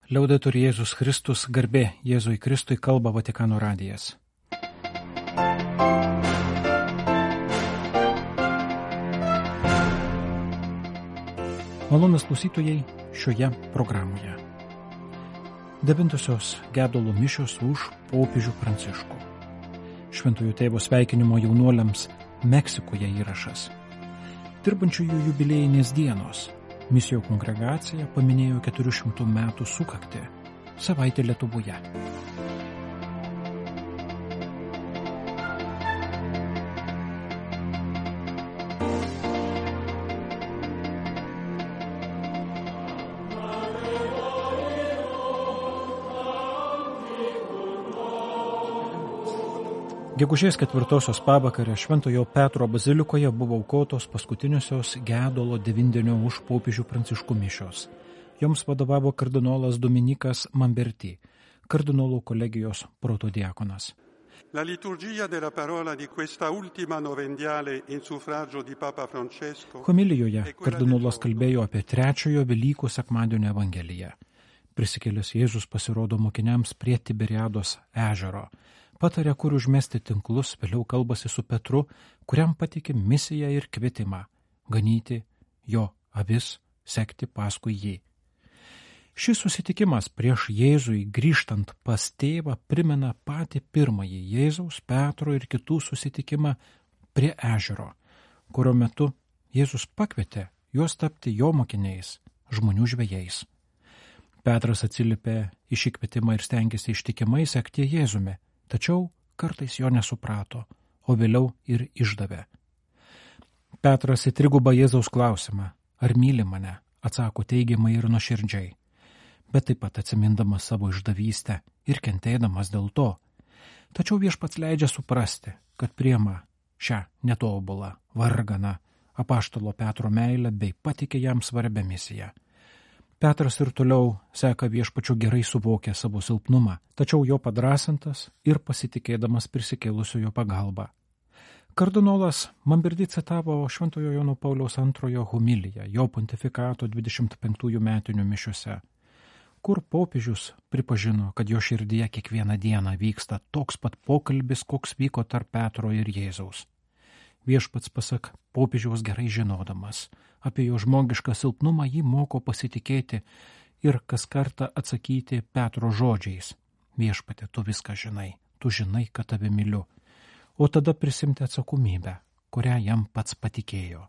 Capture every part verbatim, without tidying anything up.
Liaudetur Jėzus Kristus, garbė Jėzui Kristui, kalba Vatikano radijas. Malonūs klausytojai šioje programoje. Devintosios gedulo mišios už popiežių Pranciškų. Šventojo tėvo sveikinimo jaunuoliams Meksikoje įrašas. Dirbančiųjų jubiliejinės dienos. Misijo kongregacija paminėjo keturių šimtų metų sukaktį. Savaitė Lietuvoje. Gegužės ketvirtosios pavakarę Šventojo Petro bazilikoje buvo aukotos paskutiniosios gedulo devindienio už popiežių Pranciškų mišios. Joms vadovavo kardinolas Dominikas Mamberti, kardinolų kolegijos protodiakonas. La liturgia della parola di questa ultima novendiale in suffragio di Papa Francesco. Homilijoje kardinolas kalbėjo apie trečiojo Velykų sekmadienio evangeliją. Prisikėlęs Jėzus pasirodo mokiniams prie Tiberiados ežero. Patarė, kur užmesti tinklus, vėliau kalbasi su Petru, kuriam patikė misiją ir kvietimą – ganyti jo avis, sekti paskui jį. Šis susitikimas prieš Jėzui grįžtant pas tėvą primena patį pirmąjį Jėzaus, Petro ir kitų susitikimą prie ežero, kurio metu Jėzus pakvietė juos tapti jo mokiniais, žmonių žvejais. Petras atsiliepė į šį kvietimą ir stengėsi ištikimai sekti Jėzumi. Tačiau kartais jo nesuprato, o vėliau ir išdavė. Petras į trigubą Jėzaus klausimą, ar myli mane, atsako teigiamai ir nuoširdžiai, bet taip pat atsimindamas savo išdavystę ir kentėdamas dėl to. Tačiau viešpats leidžia suprasti, kad priima šią netobulą, varganą apaštalo Petro meilę bei patikė jam svarbią misiją. Petras ir toliau seka viešpačiu gerai suvokę savo silpnumą, tačiau jo padrasintas ir pasitikėdamas prisikėlusiojo pagalbą. Kardinolas Mamberti citavo Šventojo Jono Pauliaus antrojo homiliją, jo pontifikato dvidešimt penktųjų metinių mišiose, kur popiežius pripažino, kad jo širdyje kiekvieną dieną vyksta toks pat pokalbis, koks vyko tarp Petro ir Jėzaus. Viešpats, pasak popiežiaus gerai žinodamas, apie jo žmogišką silpnumą jį moko pasitikėti ir kas kartą atsakyti Petro žodžiais. Viešpate, tu viską žinai, tu žinai, kad tave myliu. O tada prisimti atsakomybę, kurią jam pats patikėjo.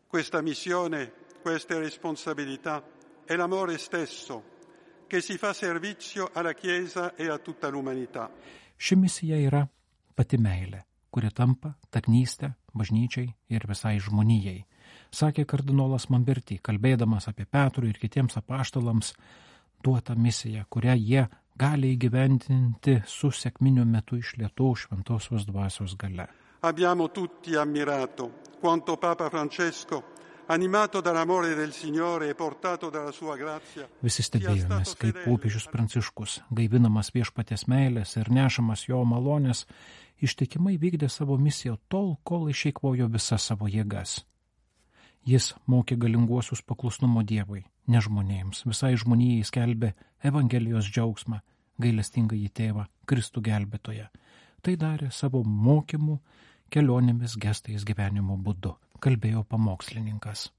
Questa missione, questa responsabilità è l'amore stesso che si fa servizio alla Chiesa e a tutta l'umanità. Ši misija yra pati meilė, kuri tampa tarnystė bažnyčiai ir visai žmonijai, sakė kardinolas Mamberti, kalbėdamas apie Petrų ir kitiems apaštalams duotą misiją, kurią jie gali įgyvendinti su sekminių metu išlietos šventosios dvasios galia. Abbiamo tutti ammirato quanto Papa Francesco, animato dall'amore del Signore e portato dalla sua grazia. Visi stebėjomės, kaip popiežius Pranciškus, gaivinamas viešpaties meilės ir nešamas jo malonės, ištikimai vykdė savo misiją tol, kol išeikvojo visas savo jėgas. Jis mokė galinguosius paklusnumo Dievui, ne žmonėms, visai žmonijai skelbė Evangelijos džiaugsmą, gailestingąjį tėvą, Kristų gelbėtoją. Tai darė savo mokymų, kelionėmis, gestais, gyvenimo būdu, kalbėjo pamokslininkas.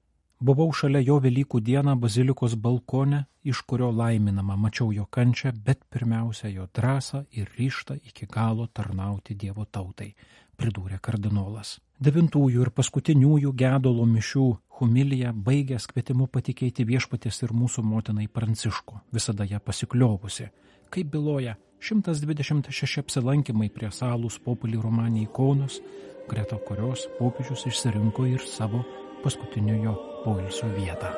Buvau šalia jo Velykų dieną bazilikos balkone, iš kurio laiminama mačiau jo kančią, bet pirmiausia jo drąsą ir ryžtą iki galo tarnauti Dievo tautai, pridūrė kardinolas. Devintųjų ir paskutiniųjų gedulo mišių homiliją baigęs kvietimu patikėti viešpaties ir mūsų motinai Pranciškų, visada ją pasikliovusi, kaip byloja šimtas dvidešimt šeši apsilankymai prie Salus Populi Romani ikonos, greta kurios popiežius išsirinko ir savo paskutiniojo poilsio vietą.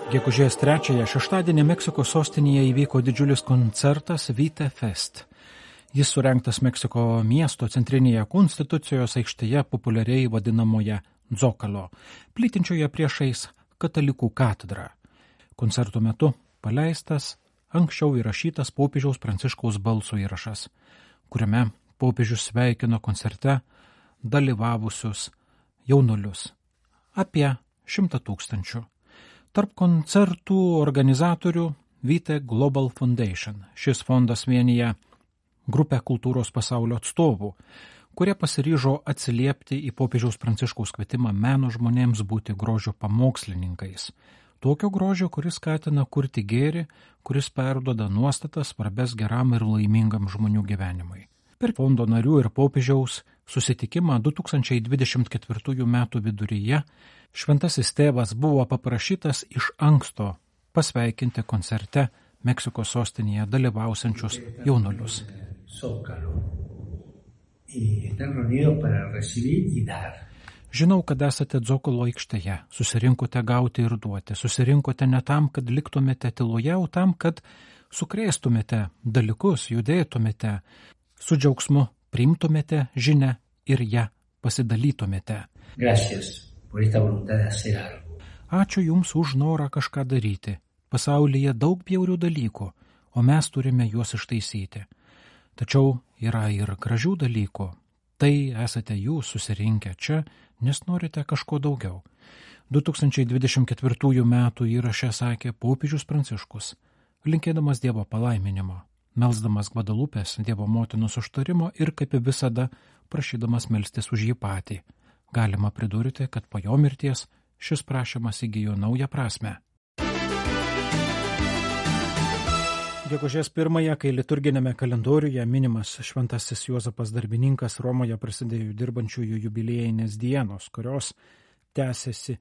Gegužės trečiąją šeštadienį Meksikos sostinėje įvyko didžiulis koncertas Vite Fest. Jis surengtas Meksiko miesto centrinėje Konstitucijos aikštėje, populiariai vadinamoje Dzokalo, plytinčioje priešais katalikų katedrą. Koncerto metu paleistas anksčiau įrašytas popiežiaus Pranciškaus balso įrašas, kuriame popiežius sveikino koncerte dalyvavusius jaunuolius. Apie šimtą tūkstančių. Tarp koncertų organizatorių Vitae Global Foundation. Šis fondas vienyje grupę kultūros pasaulio atstovų, kurie pasiryžo atsiliepti į popiežiaus Pranciškaus kvietimą meno žmonėms būti grožio pamokslininkais. Tokio grožio, kuris skatina kurti gėrį, kuris perduoda nuostatas svarbes geram ir laimingam žmonių gyvenimui. Per fondo narių ir popiežiaus susitikimą du tūkstančiai dvidešimt ketvirtųjų metų viduryje šventasis tėvas buvo paprašytas iš anksto pasveikinti koncerte Meksikos sostinėje dalyvausiančius jaunuolius. Žinau, kad esate Dzokolo aikštėje, susirinkote gauti ir duoti, susirinkote ne tam, kad liktumėte tyloje, o tam, kad sukrėstumėte dalykus, judėtumėte, su džiaugsmu priimtumėte žinią ir ją pasidalytumėte. Ačiū Jums už norą kažką daryti. Pasaulyje daug bjaurių dalykų, o mes turime juos ištaisyti. Tačiau yra ir gražių dalykų. Tai esate Jūs susirinkę čia, nes norite kažko daugiau. du tūkstančiai dvidešimt ketvirtųjų metų įraše sakė popiežius Pranciškus, linkėdamas Dievo palaiminimo, melsdamas Gvadalupės Dievo motinos užtarimo ir kaip visada prašydamas melstis už jį patį. Galima pridurti, kad po jo mirties šis prašymas įgijo naują prasme. Gegužės pirmąją, kai liturginėme kalendoriuje minimas šventasis Juozapas Darbininkas, Romoje prasidėjo dirbančiųjų jubiliejinės dienos, kurios tęsiasi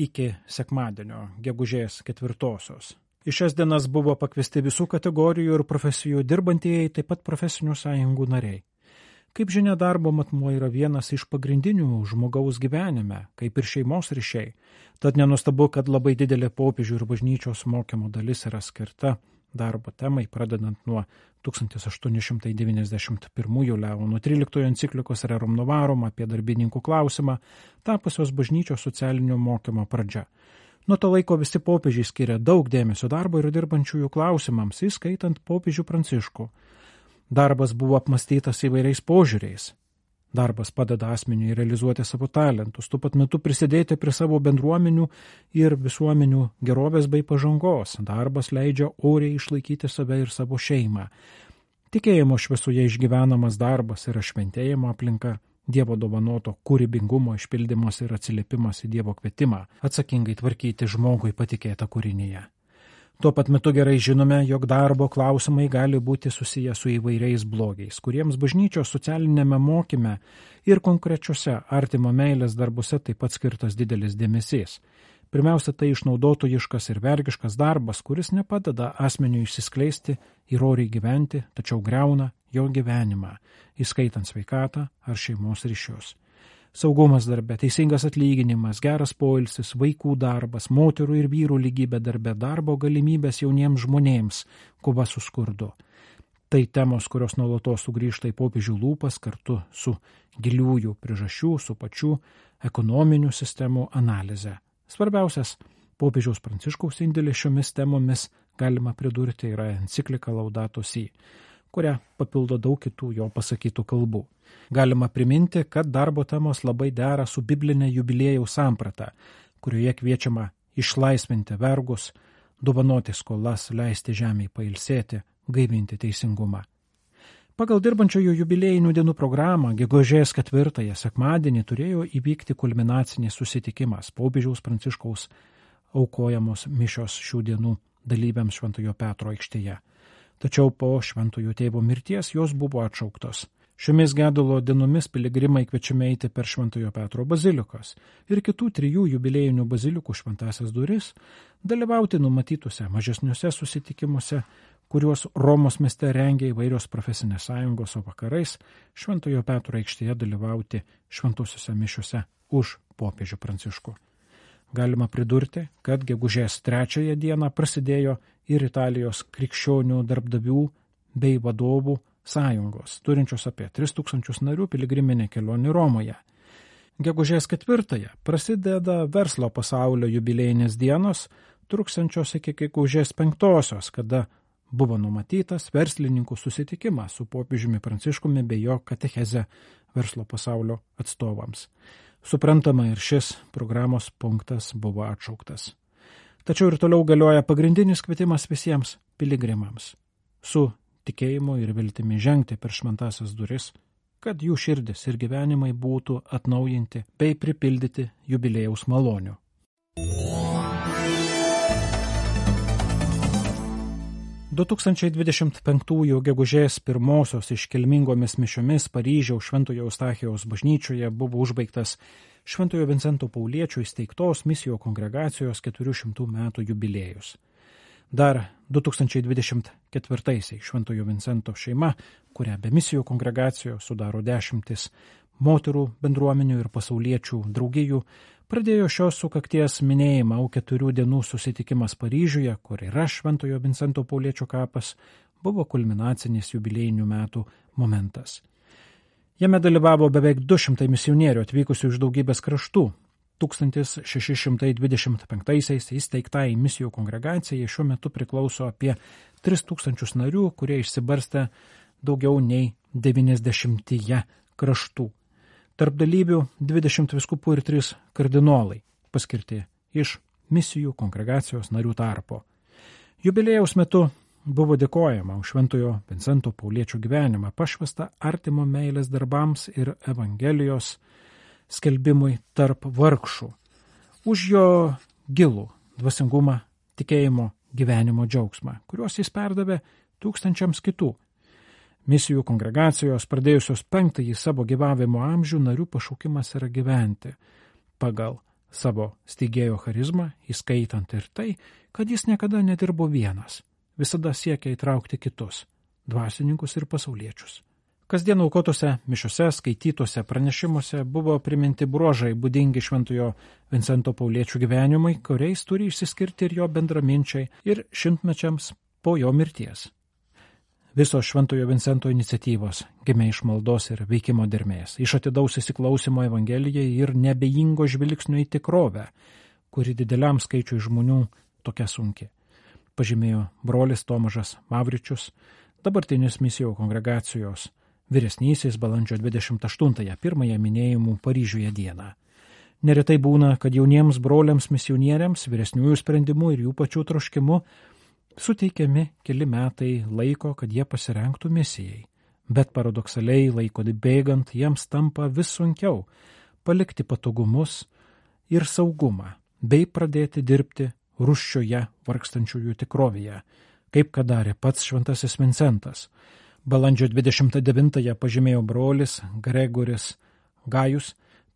iki sekmadienio, gegužės ketvirtosios. Į šias dienas buvo pakviesti visų kategorijų ir profesijų dirbantieji, taip pat profesinių sąjungų nariai. Kaip žinia, darbo matmuo yra vienas iš pagrindinių žmogaus gyvenime, kaip ir šeimos ryšiai. Tad nenustabu, kad labai didelė popiežių ir bažnyčios mokymo dalis yra skirta darbo temai, pradedant nuo tūkstantis aštuoni šimtai devyniasdešimt pirmųjų Leono tryliktojo enciklikos Rerum Novarum apie darbininkų klausimą, tapusios bažnyčios socialinio mokymo pradžia. Nuo to laiko visi popiežiai skiria daug dėmesio darbo ir dirbančiųjų klausimams, įskaitant popiežių Pranciškų. Darbas buvo apmąstytas įvairiais požiūriais. Darbas padeda asmeniui realizuoti savo talentus, tuo pat metu prisidėti prie savo bendruomenių ir visuomenių gerovės bei pažangos. Darbas leidžia oriai išlaikyti save ir savo šeimą. Tikėjimo šviesoje išgyvenamas darbas yra šventėjimo aplinka, Dievo dovanoto kūrybingumo išpildymas ir atsiliepimas į Dievo kvietimą, atsakingai tvarkyti žmogui patikėtą kūrinyje. Tuo pat metu gerai žinome, jog darbo klausimai gali būti susiję su įvairiais blogiais, kuriems bažnyčios socialinėme mokyme ir konkrečiose artimo meilės darbuose taip pat skirtas didelis dėmesys. Pirmiausia, tai išnaudotojiškas ir vergiškas darbas, kuris nepadeda asmeniui išsiskleisti ir oriai gyventi, tačiau griauna jo gyvenimą, įskaitant sveikatą ar šeimos ryšius. Saugumas darbe, teisingas atlyginimas, geras poilsis, vaikų darbas, moterų ir vyrų lygybė darbe, darbo galimybės jauniems žmonėms, kova su skurdu. Tai temos, kurios nuolatos sugrįžta į popiežių lūpas kartu su giliųjų priežasčių, su pačių ekonominių sistemų analize. Svarbiausias popiežiaus Pranciškaus indėlis šiomis temomis, galima pridurti, yra enciklika Laudato Si, kurią papildo daug kitų jo pasakytų kalbų. Galima priminti, kad darbo temos labai dera su biblinė jubiliejaus samprata, kurioje kviečiama išlaisvinti vergus, dovanoti skolas, leisti žemei pailsėti, gaivinti teisingumą. Pagal dirbančiųjų jubiliejinių dienų programą gegužės ketvirtąją sekmadienį turėjo įvykti kulminacinis susitikimas popiežiaus Pranciškaus aukojamos mišios šių dienų dalyviams Šventojo Petro aikštėje. Tačiau po Šventojo tėvo mirties jos buvo atšauktos. Šiomis gedulo dienomis piligrimai kviečiami eiti per Šventojo Petro bazilikas ir kitų trijų jubiliejinių bazilikų šventąsias duris, dalyvauti numatytuose mažesniuose susitikimuose, kuriuos Romos mieste rengia įvairios profesinės sąjungos, o vakarais Šventojo Petro aikštėje dalyvauti šventosiuose mišiuose už popiežių Pranciškų. Galima pridurti, kad gegužės trečiąją dieną prasidėjo ir Italijos krikščionių darbdavių bei vadovų sąjungos, turinčios apie tris tūkstančius narių piligriminė kelionė Romoje. Gegužės ketvirtąją prasideda verslo pasaulio jubiliejinės dienos, truksiančios iki gegužės penktosios, kada buvo numatytas verslininkų susitikimas su popiežiumi Pranciškumi bei jo katecheze verslo pasaulio atstovams. Suprantama, ir šis programos punktas buvo atšauktas. Tačiau ir toliau galioja pagrindinis kvietimas visiems piligrimams su tikėjimu ir viltimi žengti per šventąsias duris, kad jų širdis ir gyvenimai būtų atnaujinti bei pripildyti jubiliejaus malonių. du tūkstančiai dvidešimt penktųjų gegužės pirmosios iškilmingomis mišiomis Paryžiaus Šventojo Eustachijaus bažnyčioje buvo užbaigtas Šventojo Vincento Pauliečio įsteigtos misijų kongregacijos keturių šimtų metų jubiliejus. Dar du tūkstančiai dvidešimt ketvirtaisiais Šventojo Vincento šeima, kurią be misijų kongregacijos sudaro dešimtis moterų bendruomenių ir pasauliečių draugijų, pradėjo šios sukakties minėjimą, o keturių dienų susitikimas Paryžiuje, kur yra Šventojo Vincento Pauliečio kapas, buvo kulminacinis jubiliejinių metų momentas. Jame dalyvavo beveik du šimtai misionierių atvykusių iš daugybės kraštų. tūkstantis šeši šimtai dvidešimt penktaisiais įsteigtai misijų kongregacijai šiuo metu priklauso apie tris tūkstančius narių, kurie išsibarstę daugiau nei devyniasdešimtyje kraštų. Tarp dalyvių dvidešimt vyskupų ir trys kardinolai, paskirti iš misijų kongregacijos narių tarpo. Jubiliejaus metu buvo dėkojama už Šventojo Vincento Pauliečio gyvenimą, pašvestą artimo meilės darbams ir Evangelijos skelbimui tarp vargšų, už jo gilų dvasingumą, tikėjimo, gyvenimo džiaugsmą, kuriuos jis perdavė tūkstančiams kitų. Misijų kongregacijos pradėjusios penktąjį savo gyvavimo amžių narių pašaukimas yra gyventi pagal savo steigėjo charizmą, įskaitant ir tai, kad jis niekada nedirbo vienas, visada siekia įtraukti kitus, dvasininkus ir pasauliečius. Kasdien aukotose mišiose, skaitytose pranešimuose buvo priminti bruožai būdingi Šventojo Vincento Pauliečio gyvenimui, kuriais turi išsiskirti ir jo bendraminčiai ir šimtmečiams po jo mirties. Visos Šventojo Vincento iniciatyvos gimė iš maldos ir veikimo dermės, iš atidaus įsiklausimo Evangelijai ir nebejingo žvilgsnio į tikrovę, kuri dideliam skaičiui žmonių tokia sunki, pažymėjo brolis Tomažas Mavričius, dabartinis misijų kongregacijos vyresnysis balandžio dvidešimt aštuntąją pirmąją minėjimų Paryžiuje dieną. Neretai būna, kad jauniems broliams misionieriams vyresniųjų sprendimų ir jų pačių troškimu suteikiami keli metai laiko, kad jie pasirengtų misijai, bet paradoksaliai laiko bėgant jiems tampa vis sunkiau palikti patogumus ir saugumą, bei pradėti dirbti rūsčioje vargstančiųjų tikrovėje, kaip kad darė pats Šventasis Vincentas. Balandžio dvidešimt devintąją pažymėjo brolis Gregoris Gajus,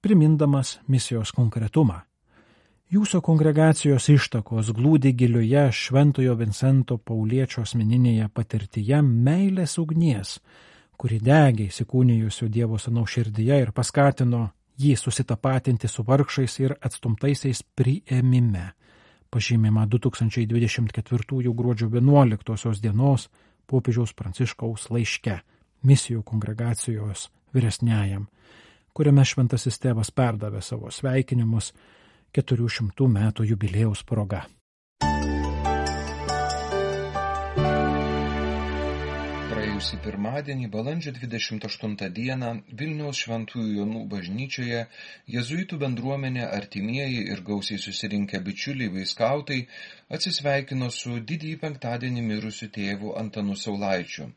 primindamas misijos konkretumą. Jūsų kongregacijos ištakos glūdi gilioje Šventojo Vincento Pauliečio asmeninėje patirtyje meilės ugnies, kuri degė įsikūnijusio Dievo Sūnaus širdyje ir paskatino jį susitapatinti su vargšais ir atstumtaisiais priėmime. Pažymima du tūkstančiai dvidešimt ketvirtųjų gruodžio vienuoliktosios dienos popiežiaus Pranciškaus laiške misijų kongregacijos vyresniajam, kuriame Šventasis Tėvas perdavė savo sveikinimus keturių šimtų metų jubiliejaus proga. Praėjusį pirmadienį, balandžio dvidešimt aštuntą dieną, Vilniaus Šventųjų Jonų bažnyčioje jėzuitų bendruomenė, artimieji ir gausiai susirinkę bičiuliai bei skautai atsisveikino su didįjį penktadienį mirusiu tėvu Antanu Saulaičiu.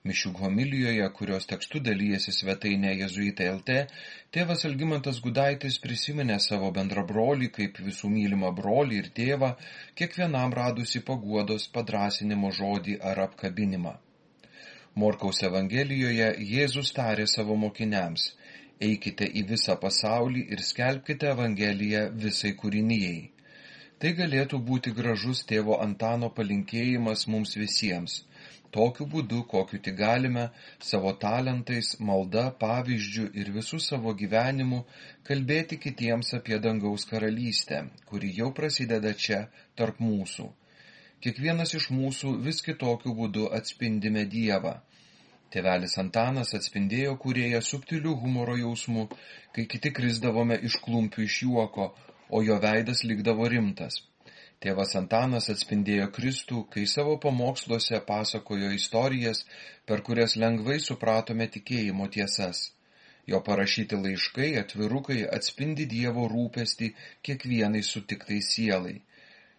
Mišių homilijoje, kurios tekstu dalyjasi svetainė Jėzuitai L T, tėvas Algimantas Gudaitis prisiminė savo bendrabrolį kaip visų mylimą brolį ir tėvą, kiekvienam radusi paguodos padrąsinimo žodį ar apkabinimą. Morkaus Evangelijoje Jėzus tarė savo mokiniams: eikite į visą pasaulį ir skelbkite Evangeliją visai kūrinijai. Tai galėtų būti gražus tėvo Antano palinkėjimas mums visiems. Tokiu būdu, kokiu tik galime, savo talentais, malda, pavyzdžiu ir visų savo gyvenimu kalbėti kitiems apie dangaus karalystę, kuri jau prasideda čia, tarp mūsų. Kiekvienas iš mūsų vis kitokiu būdu atspindime Dievą. Tėvelis Antanas atspindėjo kūrėją subtilių humoro jausmų, kai kiti krisdavome iš klumpių iš juoko, o jo veidas likdavo rimtas. Tėvas Antanas atspindėjo Kristų, kai savo pamoksluose pasakojo istorijas, per kurias lengvai supratome tikėjimo tiesas. Jo parašyti laiškai, atvirukai atspindi Dievo rūpestį kiekvienai sutiktai sielai.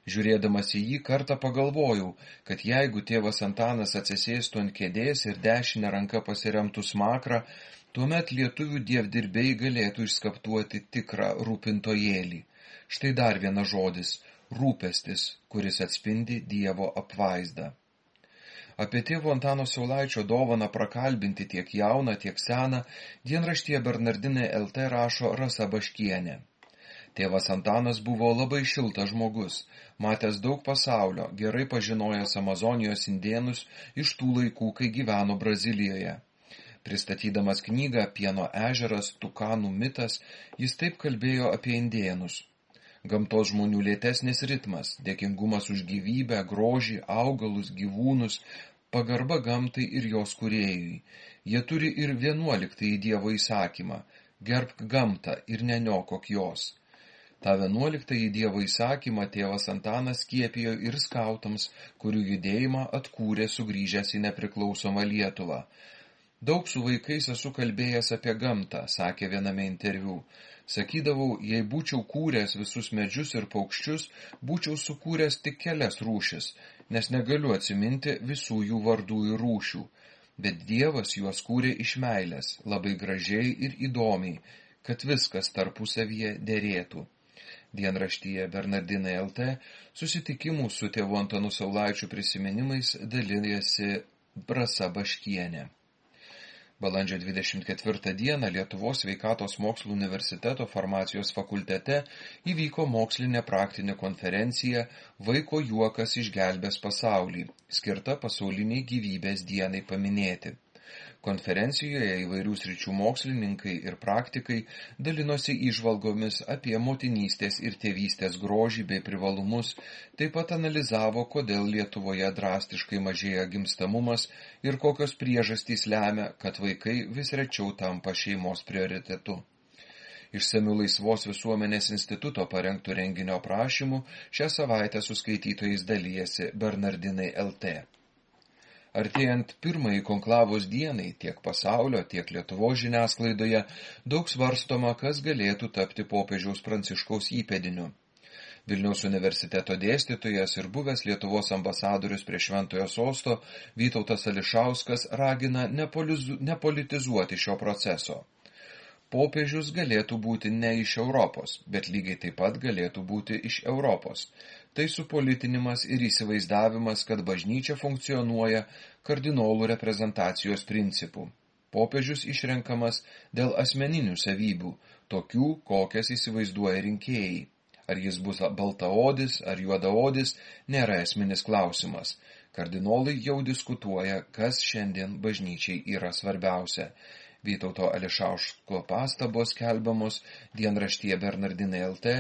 Žiūrėdamas į jį kartą pagalvojau, kad jeigu tėvas Antanas atsisėstų ant kėdės ir dešinę ranką pasiremtų smakrą, tuomet lietuvių dievdirbiai galėtų išskaptuoti tikrą rūpintojėlį. Štai dar vienas žodis – rūpestis, kuris atspindi Dievo apvaizdą. Apie tėvo Antano Saulaičio dovaną prakalbinti tiek jauną, tiek seną dienraštyje Bernardinai L T rašo Rasa Baškienė. Tėvas Antanas buvo labai šiltas žmogus, matęs daug pasaulio, gerai pažinojęs Amazonijos indėnus iš tų laikų, kai gyveno Brazilijoje. Pristatydamas knygą Pieno ežeras, Tukanų mitas, jis taip kalbėjo apie indėnus. Gamtos žmonių lėtesnis ritmas, dėkingumas už gyvybę, grožį, augalus, gyvūnus, pagarba gamtai ir jos kūrėjui. Jie turi ir vienuoliktąjį Dievo įsakymą – gerbk gamtą ir neniokok jos. Ta vienuoliktąjį Dievo įsakymą tėvas Antanas skiepijo ir skautams, kurių judėjimą atkūrė sugrįžęs į nepriklausomą Lietuvą. Daug su vaikais esu kalbėjęs apie gamtą, sakė viename interviu. Sakydavau, jei būčiau kūręs visus medžius ir paukščius, būčiau sukūręs tik kelias rūšis, nes negaliu atsiminti visų jų vardų ir rūšių. Bet Dievas juos kūrė iš meilės, labai gražiai ir įdomiai, kad viskas tarpusavyje derėtų. Dienraštyje Bernardinai L T susitikimų su tėvu Antanu Saulaičiu prisiminimais dalijasi Rasa Baškienė. Balandžio dvidešimt ketvirtą dieną Lietuvos sveikatos mokslų universiteto farmacijos fakultete įvyko mokslinė praktinė konferencija Vaiko juokas išgelbės pasaulį, skirta pasauliniai gyvybės dienai paminėti. Konferencijoje įvairių sričių mokslininkai ir praktikai dalinosi įžvalgomis apie motinystės ir tėvystės grožį bei privalumus, taip pat analizavo, kodėl Lietuvoje drastiškai mažėja gimstamumas ir kokios priežastys lemia, kad vaikai vis rečiau tampa šeimos prioritetu. Išsamiu Laisvos visuomenės instituto parengtų renginio aprašymų šią savaitę su skaitytojais dalijasi Bernardinai L T. Artėjant pirmąjį konklavos dienai tiek pasaulio, tiek Lietuvos žiniasklaidoje daug svarstoma, kas galėtų tapti popiežiaus Pranciškaus įpėdiniu. Vilniaus universiteto dėstytojas ir buvęs Lietuvos ambasadorius prie Šventojo sosto Vytautas Ališauskas ragina nepolitizuoti šio proceso. Popiežius galėtų būti ne iš Europos, bet lygiai taip pat galėtų būti iš Europos. Tai supolitinimas ir įsivaizdavimas, kad bažnyčia funkcionuoja kardinolų reprezentacijos principų. Popiežius išrenkamas dėl asmeninių savybių, tokių, kokias įsivaizduoja rinkėjai. Ar jis bus baltaodis ar juodaodis, nėra esminis klausimas. Kardinolai jau diskutuoja, kas šiandien bažnyčiai yra svarbiausia. Vytauto Ališausko pastabos skelbiamos dienraštyje Bernardinai L T,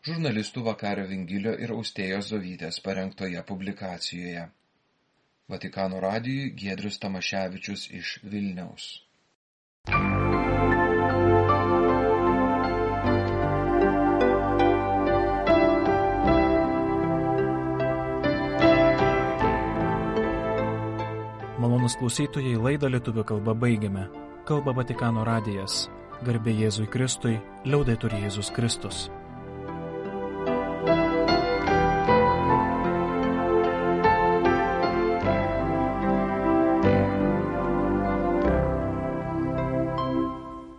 žurnalistų Vakario Vingilio ir Austėjos Zovytės parengtoje publikacijoje. Vatikano radijui Giedrius Tamaševičius iš Vilniaus. Malonūs klausytojai, laidą lietuvių kalba baigiame. Kalba Vatikano radijas. Garbė Jėzui Kristui, liaudetur Jėzus Kristus.